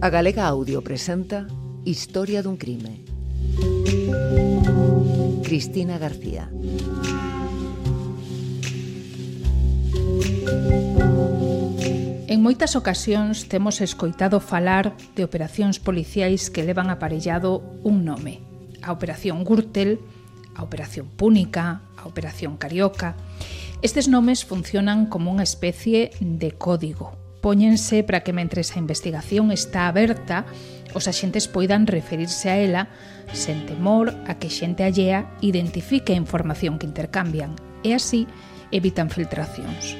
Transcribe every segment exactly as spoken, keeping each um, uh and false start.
A Galega Audio presenta Historia dun crime. Cristina García. En moitas ocasións temos escoitado falar de operacións policiais que levan aparellado un nome. A Operación Gürtel, a Operación Púnica, a Operación Carioca. Estes nomes funcionan como unha especie de código. Póñense para que mentres a investigación está aberta, os axentes poidan referirse a ela sen temor a que xente allea identifique a información que intercambian e así evitan filtracións.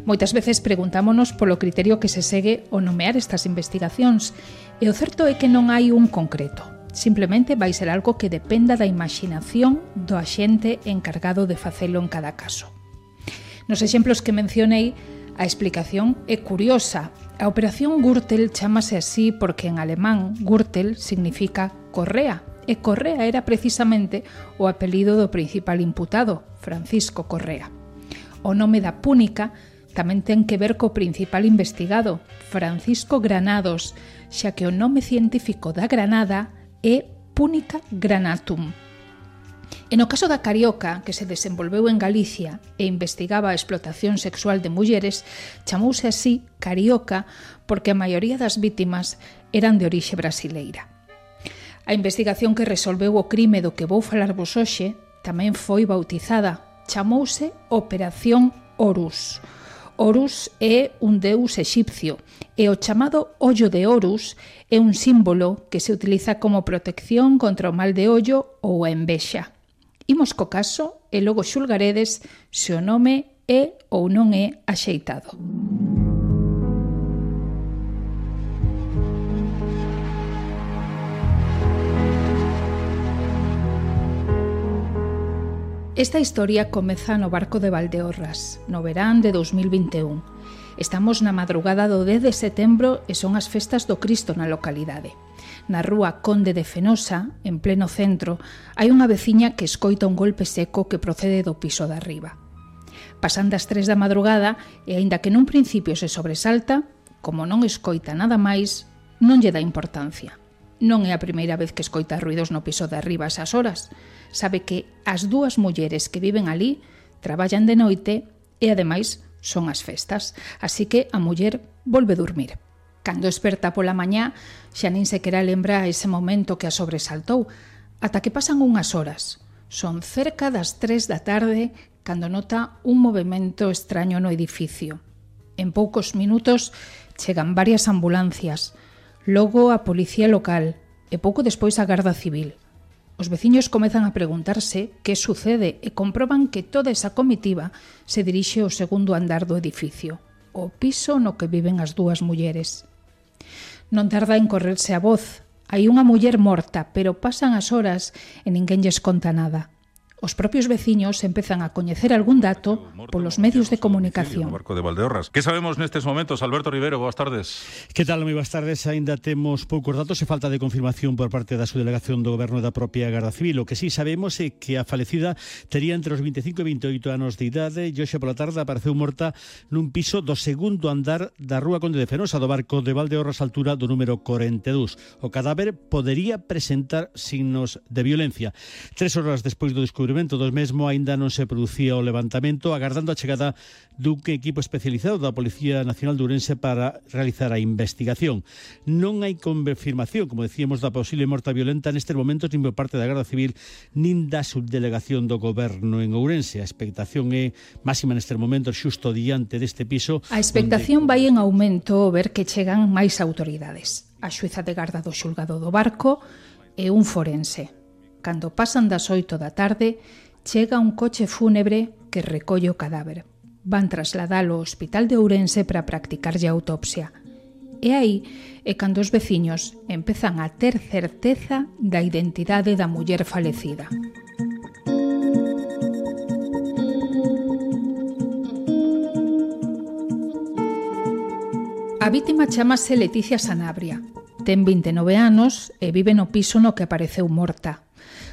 Moitas veces preguntámonos polo criterio que se segue ao nomear estas investigacións e o certo é que non hai un concreto. Simplemente vai ser algo que dependa da imaginación do axente encargado de facelo en cada caso. Nos exemplos que mencionei, a explicación é curiosa. A Operación Gürtel chámase así porque en alemán Gürtel significa correa, e Correa era precisamente o apelido do principal imputado, Francisco Correa. O nome da Púnica tamén ten que ver co principal investigado, Francisco Granados, xa que o nome científico da granada é Púnica granatum. E no caso da Carioca, que se desenvolveu en Galicia e investigaba a explotación sexual de mulleres, chamouse así Carioca porque a maioría das vítimas eran de orixe brasileira. A investigación que resolveu o crime do que vou falarvos hoxe tamén foi bautizada, chamouse Operación Horus. Horus é un deus exipcio e o chamado ollo de Horus é un símbolo que se utiliza como protección contra o mal de ollo ou a envexa. Imos co caso e logo xulgaredes se o nome é ou non é axeitado. Esta historia comeza no barco de Valdeorras, no verán de dous mil vinte e un. Estamos na madrugada do dez de setembro e son as festas do Cristo na localidade. Na rúa Conde de Fenosa, en pleno centro, hai unha veciña que escoita un golpe seco que procede do piso de arriba. Pasan das tres da madrugada e, aínda que nun principio se sobresalta, como non escoita nada máis, non lle dá importancia. Non é a primeira vez que escoita ruidos no piso de arriba a esas horas. Sabe que as dúas mulleres que viven ali traballan de noite e, ademais, son as festas, así que a muller volve dormir. Cando esperta pola mañá, xa nin sequera lembra ese momento que a sobresaltou, ata que pasan unhas horas. Son cerca das tres da tarde cando nota un movimento extraño no edificio. En poucos minutos chegan varias ambulancias, logo a policía local e pouco despois a Garda Civil. Os veciños comezan a preguntarse que sucede e comproban que toda esa comitiva se dirixe ao segundo andar do edificio, o piso no que viven as dúas mulleres. Non tarda en correrse a voz. Hai unha muller morta, pero pasan as horas e ninguén lles conta nada. Os propios veciños empezan a coñecer algún dato polos medios de comunicación. No barco de Valdeorras. Que sabemos nestes momentos? Alberto Rivero, boas tardes. Que tal, moi boas tardes? Ainda temos poucos datos e falta de confirmación por parte da subdelegación do Goberno e da propia Garda Civil. O que sí sabemos é que a falecida tería entre os vinte e cinco e vinte e oito anos de idade e hoxe pola tarde apareceu morta nun piso do segundo andar da rúa Conde de Fenosa, do barco de Valdeorras, altura do número corenta e dous. O cadáver podería presentar signos de violencia. Tres horas despois do descubrimento dos mesmo aínda non se producía o levantamento, agardando a chegada dun equipo especializado da Policía Nacional de Ourense para realizar a investigación. Non hai confirmación, como decíamos, da posible morta violenta nestes momentos nin por parte da Garda Civil nin da subdelegación do Goberno en Ourense. A expectación é máxima nestes momentos xusto diante deste piso. A expectación onde... vai en aumento ver que chegan máis autoridades. A xueza de garda do xulgado do barco e un forense. Cando pasan das oito da tarde, chega un coche fúnebre que recolle o cadáver. Van trasladalo ao Hospital de Ourense para practicarlle a autopsia. E aí é cando os veciños empezan a ter certeza da identidade da muller falecida. A vítima chámase Leticia Sanabria. Ten vinte e nove anos e vive no piso no que apareceu morta.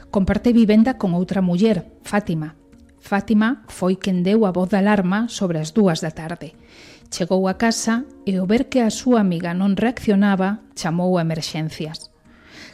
Comparte vivenda con outra muller, Fátima. Fátima foi quen deu a voz de alarma sobre as dúas da tarde. Chegou a casa e ao ver que a súa amiga non reaccionaba, chamou a emerxencias.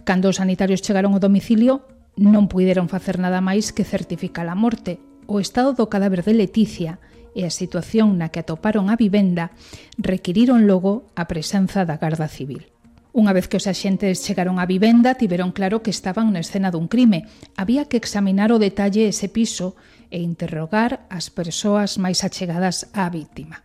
Cando os sanitarios chegaron ao domicilio, non puideron facer nada máis que certificar a morte. O estado do cadáver de Leticia e a situación na que atoparon a vivenda requiriron logo a presenza da Garda Civil. Unha vez que os axentes chegaron á vivenda, tiveron claro que estaban na escena dun crime. Había que examinar o detalle ese piso e interrogar as persoas máis achegadas á víctima.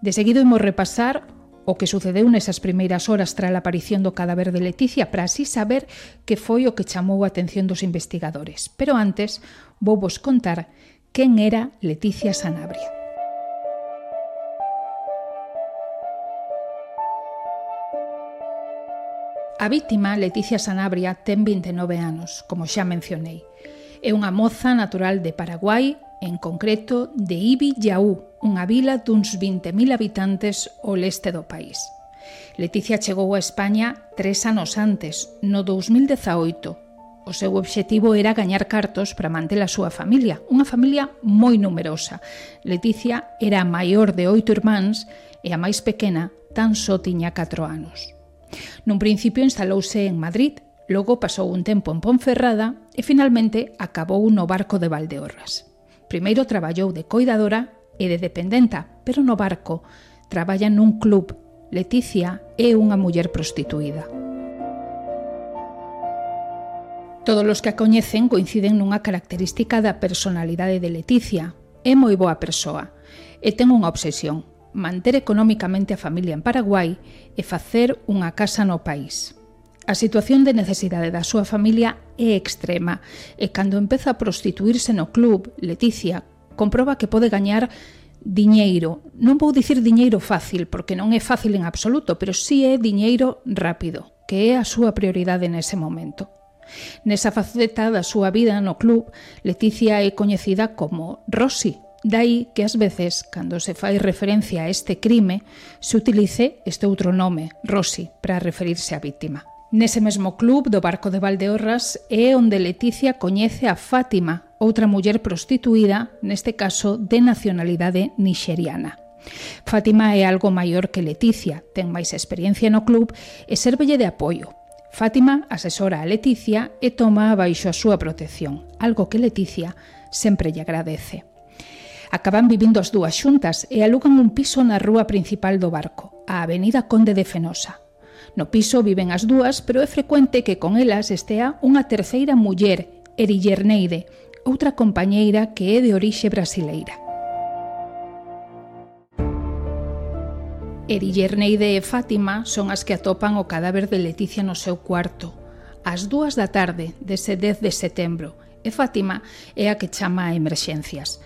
De seguido imos repasar o que sucedeu nesas primeiras horas tras a aparición do cadáver de Leticia para así saber que foi o que chamou a atención dos investigadores. Pero antes, vou vos contar quen era Leticia Sanabria. A vítima, Leticia Sanabria, ten vinte e nove anos, como xa mencionei. É unha moza natural de Paraguai, en concreto de Ibi-Yaú, unha vila duns vinte mil habitantes ao leste do país. Leticia chegou a España tres anos antes, no dous mil dezaoito. O seu obxectivo era gañar cartos para manter a súa familia, unha familia moi numerosa. Leticia era a maior de oito irmáns e a máis pequena tan só tiña catro anos. Nun principio instalouse en Madrid, logo pasou un tempo en Ponferrada e finalmente acabou no barco de Valdeorras. Primeiro traballou de coidadora e de dependenta, pero no barco traballa nun club. Leticia é unha muller prostituída. Todos os que a coñecen coinciden nunha característica da personalidade de Leticia. É moi boa persoa e ten unha obsesión: manter económicamente a familia en Paraguai e facer unha casa no país. A situación de necesidade da súa familia é extrema e cando empeza a prostituirse no club, Leticia comproba que pode gañar diñeiro. Non vou dicir diñeiro fácil, porque non é fácil en absoluto, pero sí é diñeiro rápido, que é a súa prioridade nese momento. Nesa faceta da súa vida no club, Leticia é coñecida como Rosy. Dai que ás veces, cando se fai referencia a este crime, se utilice este outro nome, Rosy, para referirse á vítima. Nese mesmo club do barco de Valdeorras é onde Leticia coñece a Fátima, outra muller prostituída, neste caso de nacionalidade nixeriana. Fátima é algo maior que Leticia, ten máis experiencia no club e sérvelle de apoio. Fátima asesora a Leticia e toma baixo a súa protección, algo que Leticia sempre lle agradece. Acaban vivindo as dúas xuntas e alugan un piso na rúa principal do barco, a Avenida Conde de Fenosa. No piso viven as dúas, pero é frecuente que con elas estea unha terceira muller, Erillerneide, outra compañeira que é de orixe brasileira. Erillerneide e Fátima son as que atopan o cadáver de Leticia no seu cuarto, ás dúas da tarde dese dez de setembro, e Fátima é a que chama a emerxencias.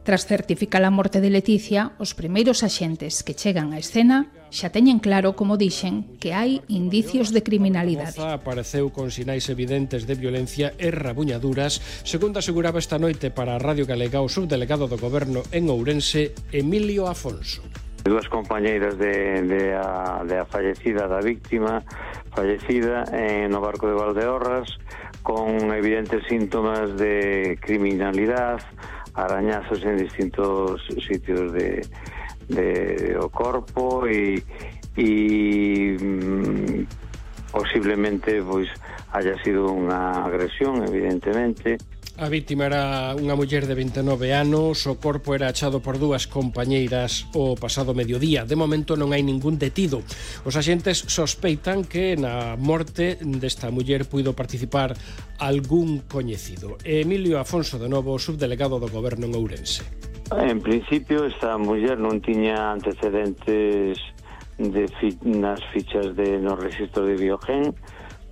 Tras certificar a morte de Leticia, os primeiros axentes que chegan á escena xa teñen claro, como dixen, que hai indicios de criminalidade. A moza apareceu con sinais evidentes de violencia e rabuñaduras, segundo aseguraba esta noite para a Radio Galega o subdelegado do Goberno en Ourense, Emilio Afonso. Dúas compañeiras de, de, a, de a fallecida, da víctima fallecida en no barco de Valdeorras, con evidentes síntomas de criminalidade, arañazos en distintos sitios de, de o corpo e, e mm, posiblemente pois haya sido unha agresión, evidentemente. A vítima era unha muller de vinte e nove anos, o corpo era achado por dúas compañeiras o pasado mediodía. De momento non hai ningún detido. Os axentes sospeitan que na morte desta muller puido participar algún coñecido. Emilio Afonso, de novo, subdelegado do Goberno en Ourense. En principio, esta muller non tiña antecedentes de fi nas fichas de no registro de Biogen.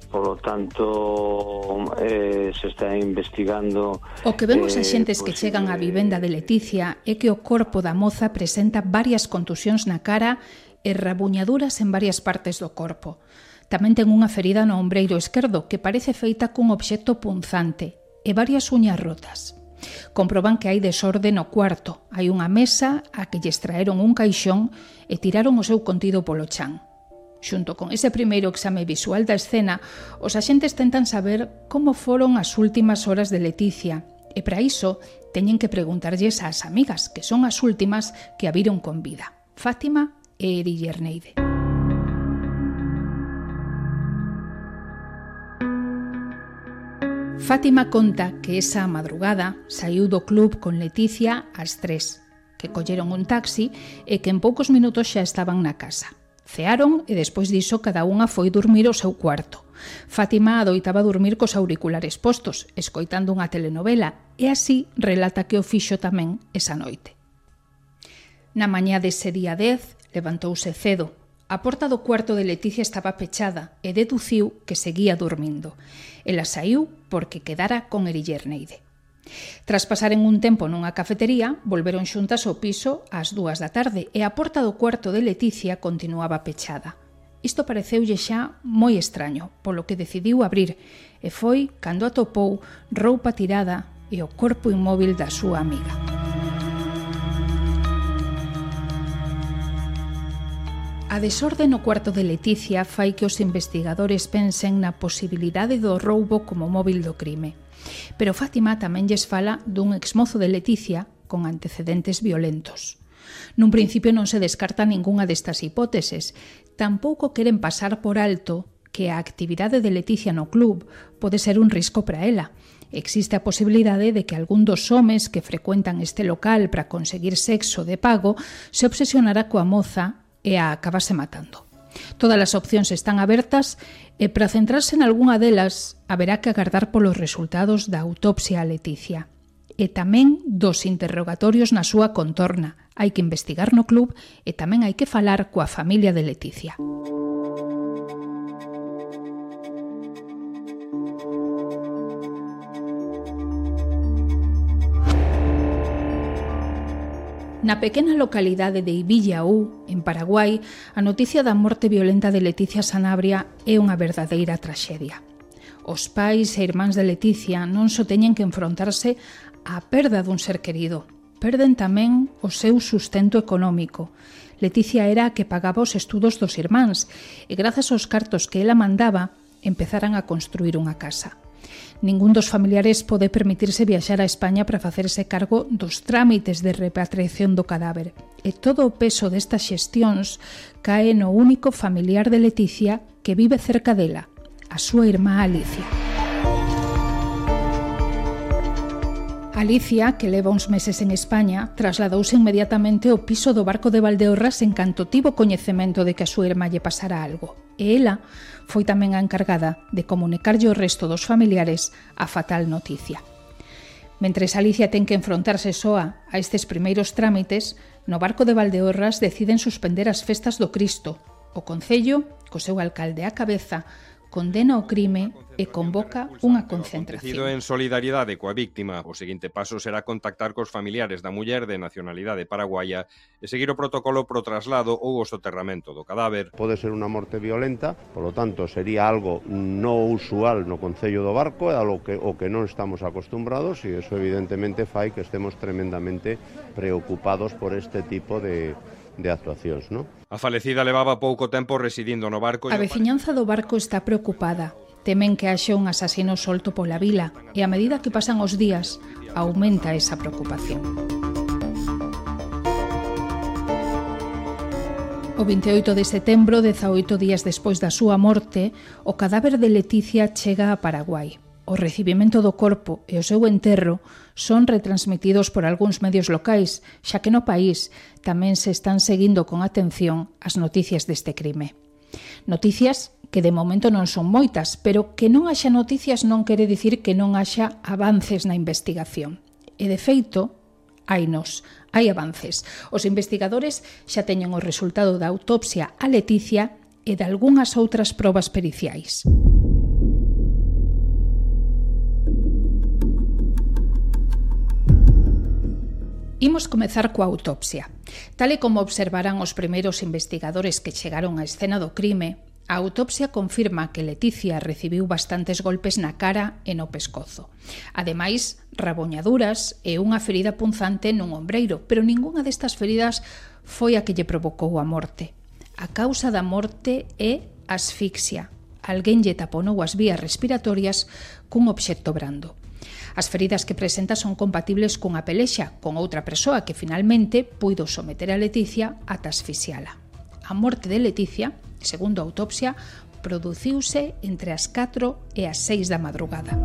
Polo tanto, eh, se está investigando... O que vemos eh, a xentes que chegan á vivenda de Leticia é que o corpo da moza presenta varias contusións na cara e rabuñaduras en varias partes do corpo. Tamén ten unha ferida no ombreiro esquerdo que parece feita cun obxecto punzante e varias uñas rotas. Comproban que hai desorde no cuarto. Hai unha mesa a que lle extraeron un caixón e tiraron o seu contido polo chan. Xunto con ese primeiro exame visual da escena, os axentes tentan saber como foron as últimas horas de Leticia e para iso teñen que preguntarlles ás amigas, que son as últimas que a viron con vida. Fátima e Eriller Neide. Fátima conta que esa madrugada saiu do club con Leticia ás tres, que colleron un taxi e que en poucos minutos xa estaban na casa. Cearon e despois diso cada unha foi dormir ao seu cuarto. Fátima adoitaba dormir cos auriculares postos, escoitando unha telenovela, e así relata que o fixo tamén esa noite. Na mañá dese día dez, levantouse cedo. A porta do cuarto de Leticia estaba pechada e deduciu que seguía dormindo. Ela saiu porque quedara con Eriller Neide. Tras pasaren un tempo nunha cafetería, volveron xuntas ao piso ás dúas da tarde e a porta do cuarto de Leticia continuaba pechada. Isto pareceulle xa moi extraño, polo que decidiu abrir, e foi cando atopou roupa tirada e o corpo inmóvil da súa amiga. A desorde no cuarto de Leticia fai que os investigadores pensen na posibilidade do roubo como móvil do crime. Pero Fátima tamén lles fala dun exmozo de Leticia con antecedentes violentos. Nun principio non se descarta ningunha destas hipóteses. Tampouco queren pasar por alto que a actividade de Leticia no club pode ser un risco para ela. Existe a posibilidade de que algún dos homes que frecuentan este local para conseguir sexo de pago se obsesionara coa moza e a acabase matando. Todas as opcións están abertas e para centrarse en algunha delas haberá que agardar polos resultados da autopsia a Leticia e tamén dos interrogatorios na súa contorna. Hai que investigar no club e tamén hai que falar coa familia de Leticia. Na pequena localidade de Ibillaú, en Paraguai, a noticia da morte violenta de Leticia Sanabria é unha verdadeira traxedia. Os pais e irmáns de Leticia non só teñen que enfrontarse á perda dun ser querido, perden tamén o seu sustento económico. Leticia era a que pagaba os estudos dos irmáns e grazas aos cartos que ela mandaba empezaran a construir unha casa. Ningún dos familiares pode permitirse viaxar a España para facerse cargo dos trámites de repatriación do cadáver. E todo o peso destas xestións cae no único familiar de Leticia que vive cerca dela, a súa irmá Alicia. Alicia, que leva uns meses en España, trasladouse inmediatamente ao piso do barco de Valdeorras en canto tivo coñecemento de que a súa irmá lle pasara algo. E ela foi tamén a encargada de comunicarlle o resto dos familiares a fatal noticia. Mentres Alicia ten que enfrontarse soa a estes primeiros trámites, no barco de Valdeorras deciden suspender as festas do Cristo. O Concello, co seu alcalde á cabeza, condena o crime e convoca unha concentración. En solidariedade coa víctima, o seguinte paso será contactar cos familiares da muller de nacionalidade paraguaya e seguir o protocolo pro traslado ou o soterramento do cadáver. Pode ser unha morte violenta, polo tanto sería algo non usual no Concello do Barco, é algo que, o que non estamos acostumbrados e eso evidentemente fai que estemos tremendamente preocupados por este tipo de de actuacións, non? A falecida levaba pouco tempo residindo no barco. A veciñanza do barco está preocupada. Temen que haxe un asasino solto pola vila e a medida que pasan os días aumenta esa preocupación. O vinte e oito de setembro, dezaoito días despois da súa morte, o cadáver de Leticia chega a Paraguai. O recibimento do corpo e o seu enterro son retransmitidos por algúns medios locais, xa que no país tamén se están seguindo con atención as noticias deste crime. Noticias que de momento non son moitas, pero que non haxa noticias non quere dicir que non haxa avances na investigación. E de feito, hainos, hai avances. Os investigadores xa teñen o resultado da autopsia a Leticia e de algunhas outras probas periciais. Imos comezar coa autopsia. Tal e como observarán os primeiros investigadores que chegaron á escena do crime, a autopsia confirma que Leticia recibiu bastantes golpes na cara e no pescozo. Ademais, raboñaduras e unha ferida punzante nun ombreiro, pero ningunha destas feridas foi a que lle provocou a morte. A causa da morte é asfixia. Alguén lle taponou as vías respiratorias cun obxecto brando. As feridas que presenta son compatibles cunha pelexa con outra persoa que finalmente puido someter a Leticia ata asfixiala. A morte de Leticia, segundo a autopsia, produciuse entre as catro e as seis da madrugada.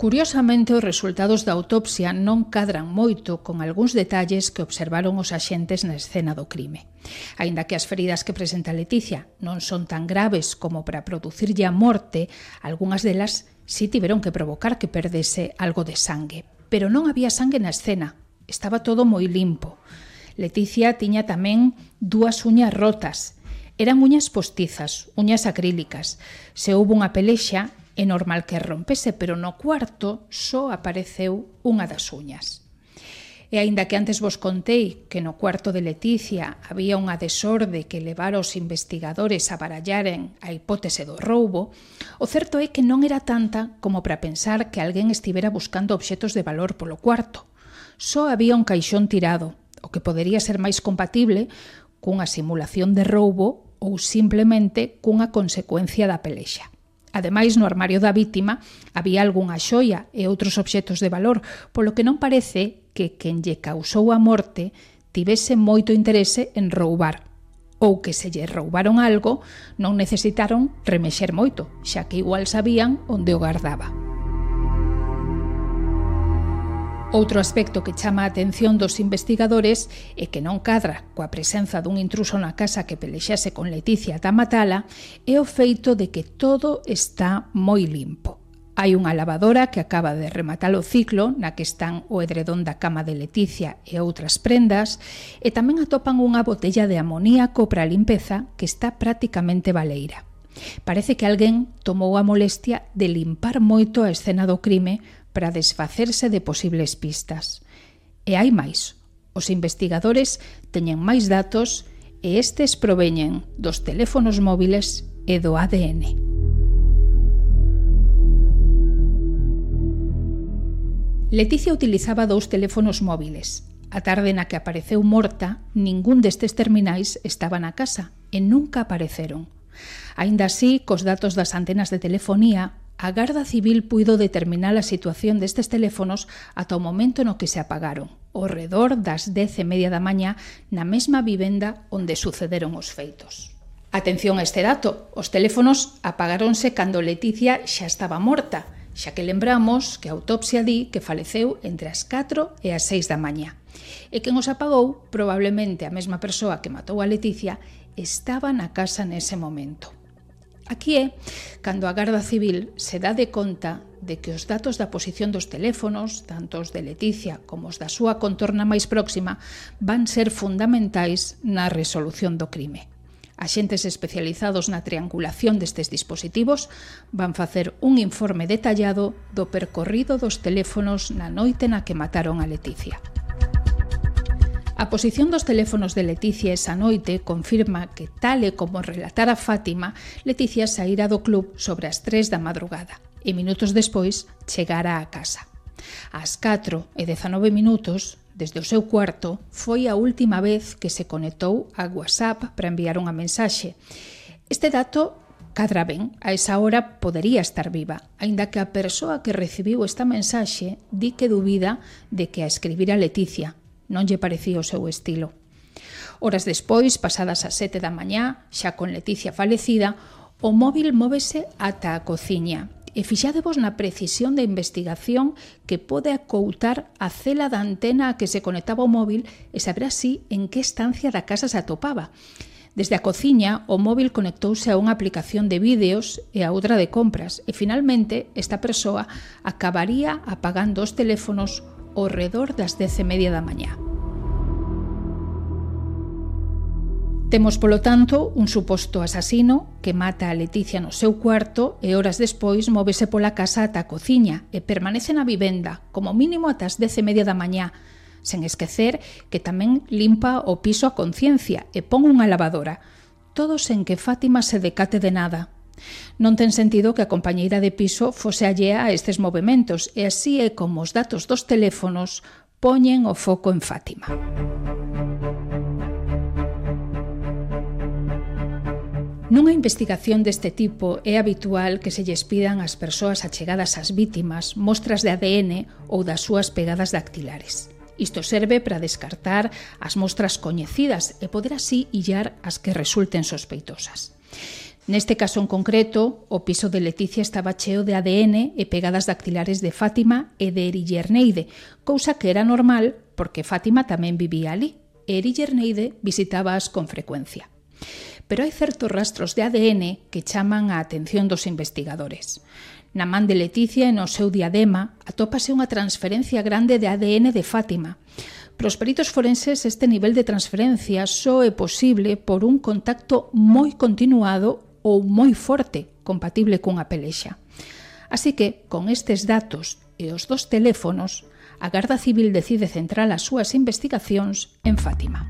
Curiosamente, os resultados da autopsia non cadran moito con algúns detalles que observaron os axentes na escena do crime. Aínda que as feridas que presenta Leticia non son tan graves como para producirlle a morte, algunhas delas si tiveron que provocar que perdese algo de sangue. Pero non había sangue na escena, estaba todo moi limpo. Leticia tiña tamén dúas uñas rotas. Eran uñas postizas, uñas acrílicas. Se houbo unha pelexa, é normal que rompese, pero no cuarto só apareceu unha das uñas. E aínda que antes vos contei que no cuarto de Leticia había unha desorde que levara os investigadores a barallaren a hipótese do roubo, o certo é que non era tanta como para pensar que alguén estivera buscando obxetos de valor polo cuarto. Só había un caixón tirado, o que podería ser máis compatible cunha simulación de roubo ou simplemente cunha consecuencia da pelexa. Ademais, no armario da vítima había algunha xoia e outros obxetos de valor, polo que non parece que quen lle causou a morte tivese moito interese en roubar, ou que se lle roubaron algo non necesitaron remexer moito, xa que igual sabían onde o guardaba. Outro aspecto que chama a atención dos investigadores é que non cadra coa presenza dun intruso na casa que pelexase con Leticia ata matala é o feito de que todo está moi limpo. Hai unha lavadora que acaba de rematar o ciclo na que están o edredón da cama de Leticia e outras prendas e tamén atopan unha botella de amoníaco para a limpeza que está prácticamente baleira. Parece que alguén tomou a molestia de limpar moito a escena do crime para desfacerse de posibles pistas. E hai máis. Os investigadores teñen máis datos e estes proveñen dos teléfonos móviles e do A D N. Leticia utilizaba dous teléfonos móviles. A tarde na que apareceu morta, ningún destes terminais estaba na casa e nunca apareceron. Aínda así, cos datos das antenas de telefonía, a Garda Civil puido determinar a situación destes teléfonos ata o momento no que se apagaron, ao redor das dez e media da mañá, na mesma vivenda onde sucederon os feitos. Atención a este dato, os teléfonos apagáronse cando Leticia xa estaba morta, xa que lembramos que a autopsia di que faleceu entre as catro e as seis da mañá. E quen os apagou, probablemente a mesma persoa que matou a Leticia, estaba na casa nese momento. Aquí é cando a Garda Civil se dá de conta de que os datos da posición dos teléfonos, tanto os de Leticia como os da súa contorna máis próxima, van ser fundamentais na resolución do crime. Axentes especializados na triangulación destes dispositivos van facer un informe detallado do percorrido dos teléfonos na noite na que mataron a Leticia. A posición dos teléfonos de Leticia esa noite confirma que, tal e como relatara Fátima, Leticia saíra do club sobre as tres da madrugada e minutos despois chegara á casa. Ás catro e dezanove minutos, desde o seu cuarto, foi a última vez que se conectou a WhatsApp para enviar unha mensaxe. Este dato cadra ben, a esa hora podería estar viva, aínda que a persoa que recibiu esta mensaxe di que dubida de que a escribira Leticia. Non lle parecía o seu estilo. Horas despois, pasadas as sete da mañá, xa con Leticia falecida, o móvil móvese ata a cociña. E fixadevos na precisión da investigación que pode acoutar a cela da antena a que se conectaba o móvil e saber así en que estancia da casa se atopaba. Desde a cociña, o móvil conectouse a unha aplicación de vídeos e a outra de compras e finalmente esta persoa acabaría apagando os teléfonos ao redor das dez e media da mañá. Temos, polo tanto, un suposto asasino que mata a Leticia no seu cuarto e horas despois móvese pola casa ata a cociña e permanece na vivenda, como mínimo ata as dez e media da mañá, sen esquecer que tamén limpa o piso a conciencia e pon unha lavadora, todo sen que Fátima se decate de nada. Non ten sentido que a compañeira de piso fose allea a estes movementos e así é como os datos dos teléfonos poñen o foco en Fátima. Nunha investigación deste tipo é habitual que se lles pidan ás persoas achegadas ás vítimas mostras de A D N ou das súas pegadas dactilares. Isto serve para descartar as mostras coñecidas e poder así illar as que resulten sospeitosas. Neste caso en concreto, o piso de Leticia estaba cheo de A D N e pegadas dactilares de Fátima e de Erillerneide, cousa que era normal porque Fátima tamén vivía ali e Erillerneide visitábaas con frecuencia. Pero hai certos rastros de A D N que chaman a atención dos investigadores. Na man de Leticia e no seu diadema atópase unha transferencia grande de A D N de Fátima. Para os peritos forenses este nivel de transferencia só é posible por un contacto moi continuado ou moi forte, compatible cunha pelexa. Así que, con estes datos e os dos teléfonos, a Garda Civil decide centrar as súas investigacións en Fátima.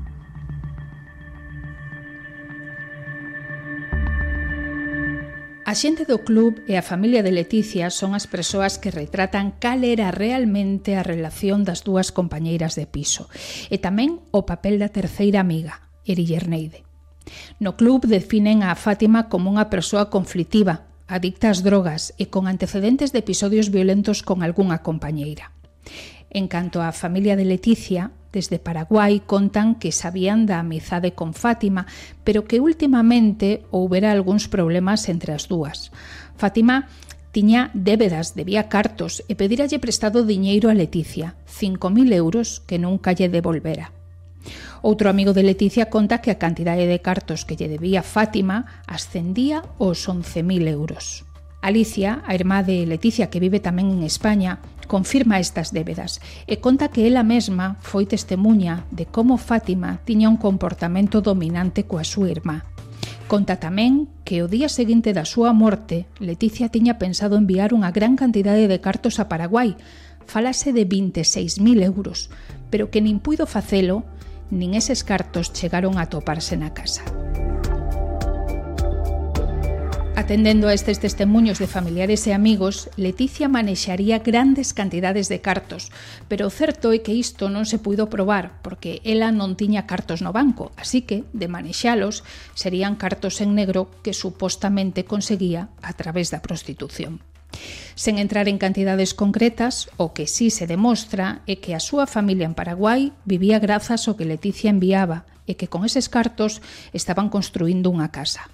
A xente do club e a familia de Leticia son as persoas que retratan cal era realmente a relación das dúas compañeiras de piso e tamén o papel da terceira amiga, Erillerneide. No club definen a Fátima como unha persoa conflitiva, adicta ás drogas e con antecedentes de episodios violentos con algunha compañeira. En canto á familia de Leticia, desde Paraguai contan que sabían da amizade con Fátima, pero que últimamente houbera algúns problemas entre as dúas. Fátima tiña débedas, debía cartos e pedíralle prestado diñeiro a Leticia, cinco mil euros que nunca lle devolvera. Outro amigo de Leticia conta que a cantidade de cartos que lle debía Fátima ascendía aos once mil euros. Alicia, a irmá de Leticia que vive tamén en España, confirma estas débedas e conta que ela mesma foi testemuña de como Fátima tiña un comportamento dominante coa súa irmá. Conta tamén que o día seguinte da súa morte, Leticia tiña pensado enviar unha gran cantidade de cartos a Paraguai, falase de vinte e seis mil euros, pero que nin puido facelo, nin eses cartos chegaron a toparse na casa. Atendendo a estes testemuños de familiares e amigos, Leticia manexaría grandes cantidades de cartos, pero o certo é que isto non se puido probar porque ela non tiña cartos no banco, así que, de manexalos, serían cartos en negro que supostamente conseguía a través da prostitución. Sen entrar en cantidades concretas, o que sí se demostra é que a súa familia en Paraguai vivía grazas ao que Leticia enviaba e que con eses cartos estaban construindo unha casa.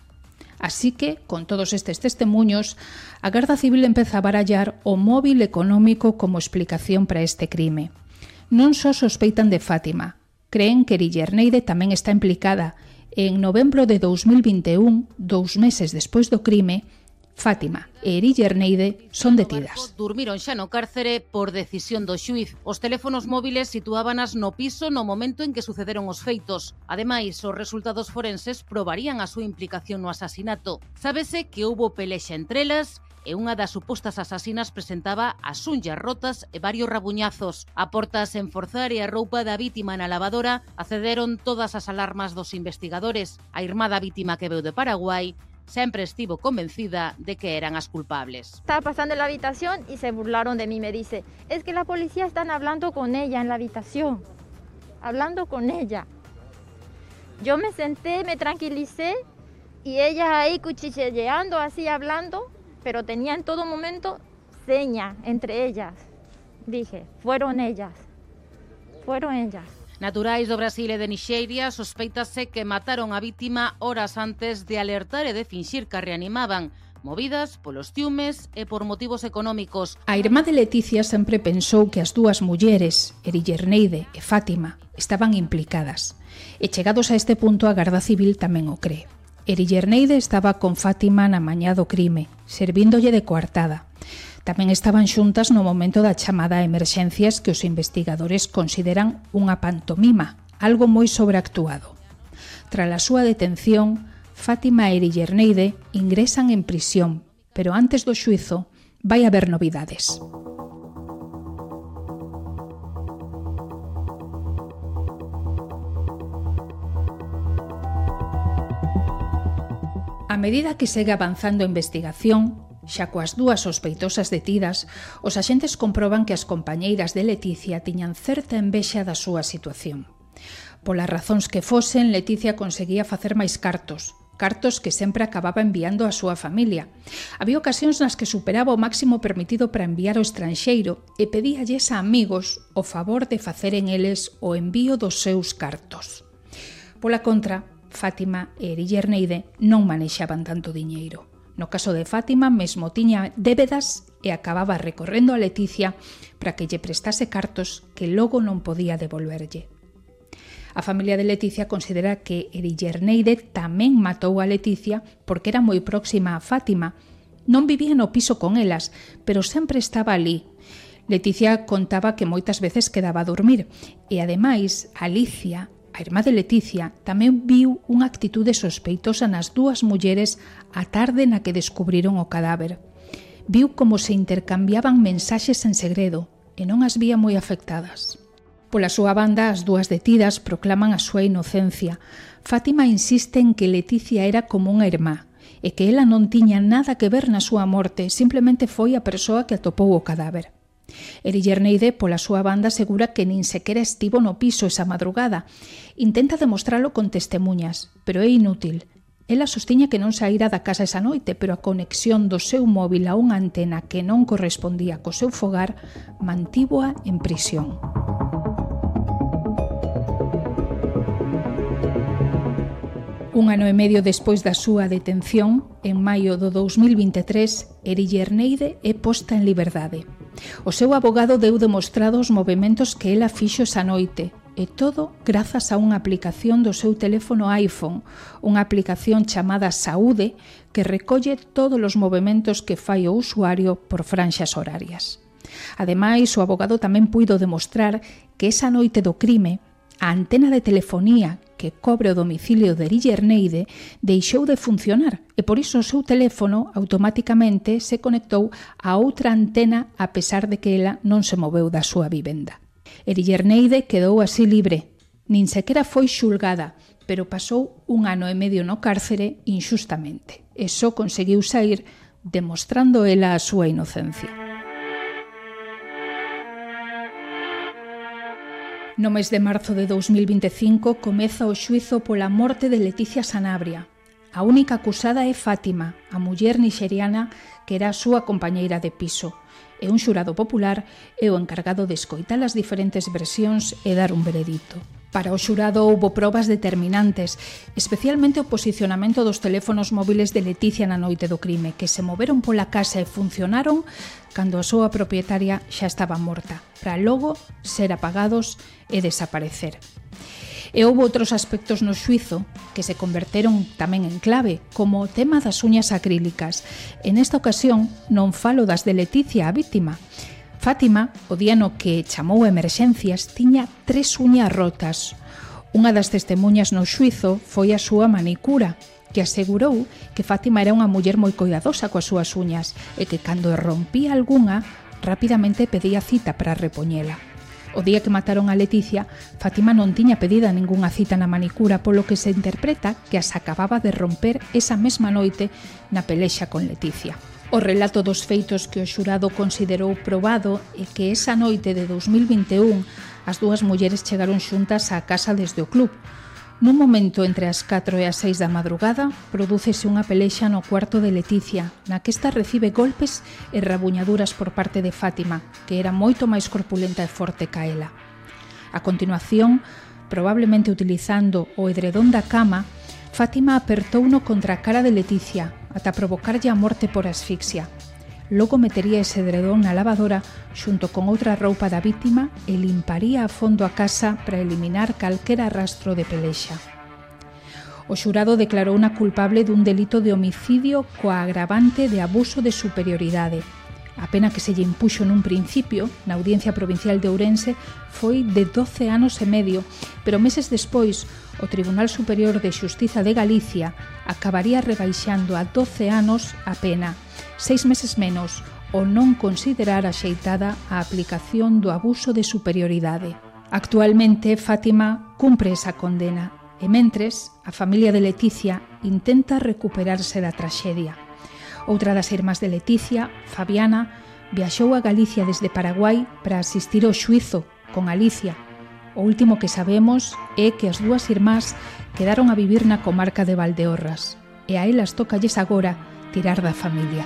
Así que, con todos estes testemuños, a Garda Civil empeza a barallar o móvil económico como explicación para este crime. Non só sospeitan de Fátima, creen que Erillerneide tamén está implicada e en novembro de dous mil vinte e un, dous meses despois do crime, Fátima e Erillerneide son detidas. Durmiron xa no cárcere por decisión do xuíz. Os teléfonos móviles situábanas no piso no momento en que sucederon os feitos. Ademais, os resultados forenses probarían a súa implicación no asasinato. Sábese que houbo pelexa entre elas e unha das supostas asasinas presentaba as unllas rotas e varios rabuñazos. A portas en forzar e a roupa da vítima na lavadora accederon todas as alarmas dos investigadores. A irmá da vítima que veu de Paraguai sempre estivo convencida de que eran as culpables. Estaba pasando en la habitación y se burlaron de mí. Me dice, es que la policía están hablando con ella en la habitación. Hablando con ella. Yo me senté, me tranquilicé y ella ahí cuchicheando, así hablando, pero tenía en todo momento seña entre ellas. Dije, fueron ellas. Fueron ellas. Naturais do Brasil e de Nixeria sospeitase que mataron a vítima horas antes de alertar e de finxir que a reanimaban, movidas polos ciúmes e por motivos económicos. A irmá de Leticia sempre pensou que as dúas mulleres, Erillerneide e Fátima, estaban implicadas. E chegados a este punto a Garda Civil tamén o cree. Erillerneide estaba con Fátima na mañá do crime, servíndolle de coartada. Tamén estaban xuntas no momento da chamada a emerxencias que os investigadores consideran unha pantomima, algo moi sobreactuado. Tras a súa detención, Fátima e Erillerneide ingresan en prisión, pero antes do xuízo vai haber novidades. A medida que segue avanzando a investigación, xa coas dúas sospeitosas detidas, os axentes comproban que as compañeiras de Leticia tiñan certa envexa da súa situación. Polas razóns que fosen, Leticia conseguía facer máis cartos, cartos que sempre acababa enviando á súa familia. Había ocasións nas que superaba o máximo permitido para enviar ao estranxeiro e pedíalles a amigos o favor de facer en eles o envío dos seus cartos. Pola contra, Fátima e Erille Erneide non manexaban tanto diñeiro. No caso de Fátima, mesmo tiña débedas e acababa recorrendo a Leticia para que lle prestase cartos que logo non podía devolverlle. A familia de Leticia considera que Erille Erneide tamén matou a Leticia porque era moi próxima a Fátima. Non vivía no piso con elas, pero sempre estaba ali. Leticia contaba que moitas veces quedaba a dormir e, ademais, Alicia, a irmá de Leticia, tamén viu unha actitude sospeitosa nas dúas mulleres a tarde na que descubriron o cadáver. Viu como se intercambiaban mensaxes en segredo e non as vía moi afectadas. Pola súa banda, as dúas detidas proclaman a súa inocencia. Fátima insiste en que Leticia era como unha irmá e que ela non tiña nada que ver na súa morte, simplemente foi a persoa que atopou o cadáver. Erille Erneide, pola súa banda, asegura que nin sequera estivo no piso esa madrugada. Intenta demostralo con testemunhas, pero é inútil. Ela sostiña que non saíra da casa esa noite, pero a conexión do seu móvil a unha antena que non correspondía co seu fogar mantívoa en prisión. Un ano e medio despois da súa detención, en maio do dous mil vinte e tres, Erille Erneide é posta en liberdade. O seu abogado deu demostrado os movementos que ela fixo esa noite, e todo grazas a unha aplicación do seu teléfono iPhone, unha aplicación chamada Saúde que recolle todos os movementos que fai o usuario por franxas horarias. Ademais, o abogado tamén puido demostrar que esa noite do crime, a antena de telefonía que cobre o domicilio de Erille Erneide deixou de funcionar e por iso o seu teléfono automáticamente se conectou a outra antena a pesar de que ela non se moveu da súa vivenda. Erille Erneide quedou así libre, nin sequera foi xulgada, pero pasou un ano e medio no cárcere inxustamente e só conseguiu sair demostrando ela a súa inocencia. No mes de marzo de dous mil vinte e cinco comeza o xuízo pola morte de Leticia Sanabria. A única acusada é Fátima, a muller nixeriana que era a súa compañeira de piso. E un xurado popular é o encargado de escoitar as diferentes versións e dar un veredicto. Para o xurado houbo probas determinantes, especialmente o posicionamento dos teléfonos móviles de Leticia na noite do crime, que se moveron pola casa e funcionaron cando a súa propietaria xa estaba morta, para logo ser apagados e desaparecer. E houbo outros aspectos no xuizo que se converteron tamén en clave, como o tema das uñas acrílicas. En esta ocasión non falo das de Leticia, a vítima. Fátima, o día no que chamou a emerxencias, tiña tres uñas rotas. Unha das testemuñas no xuizo foi a súa manicura, que asegurou que Fátima era unha muller moi coidadosa coas súas uñas e que cando rompía algunha, rapidamente pedía cita para repoñela. O día que mataron a Leticia, Fátima non tiña pedida ningunha cita na manicura, polo que se interpreta que as acababa de romper esa mesma noite na pelexa con Leticia. O relato dos feitos que o xurado considerou probado é que esa noite de dous mil vinte e un as dúas mulleres chegaron xuntas á casa desde o club. Nun momento entre as catro e as seis da madrugada, prodúcese unha pelexa no cuarto de Leticia, na que esta recibe golpes e rabuñaduras por parte de Fátima, que era moito máis corpulenta e forte ca ela. A continuación, probablemente utilizando o edredón da cama, Fátima apertouno contra a cara de Leticia, ata provocarlle a morte por asfixia. Logo metería ese edredón na lavadora xunto con outra roupa da vítima e limparía a fondo a casa para eliminar calquera rastro de pelexa. O xurado declarouna culpable dun delito de homicidio coa agravante de abuso de superioridade. A pena que se lle impuxo nun principio, na Audiencia Provincial de Ourense, foi de doce anos e medio, pero meses despois, o Tribunal Superior de Xustiza de Galicia acabaría rebaixando a doce anos a pena, seis meses menos, o non considerar axeitada a aplicación do abuso de superioridade. Actualmente, Fátima cumpre esa condena e, mentres, a familia de Leticia intenta recuperarse da traxedia. Outra das irmás de Leticia, Fabiana, viaxou a Galicia desde Paraguai para asistir ao xuízo con Alicia. O último que sabemos é que as dúas irmás quedaron a vivir na comarca de Valdeorras. e a elas tocalles agora tirar da familia.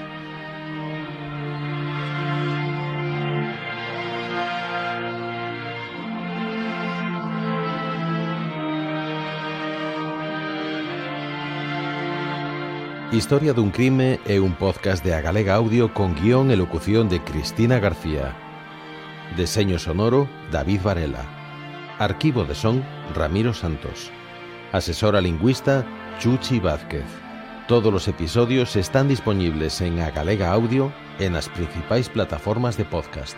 Historia dun crime é un podcast de A Galega Audio con guión e locución de Cristina García. Deseño sonoro, David Varela. Arquivo de son, Ramiro Santos. Asesora lingüista, Chuchi Vázquez. Todos los episodios están disponibles en A Galega Audio e nas principais plataformas de podcast.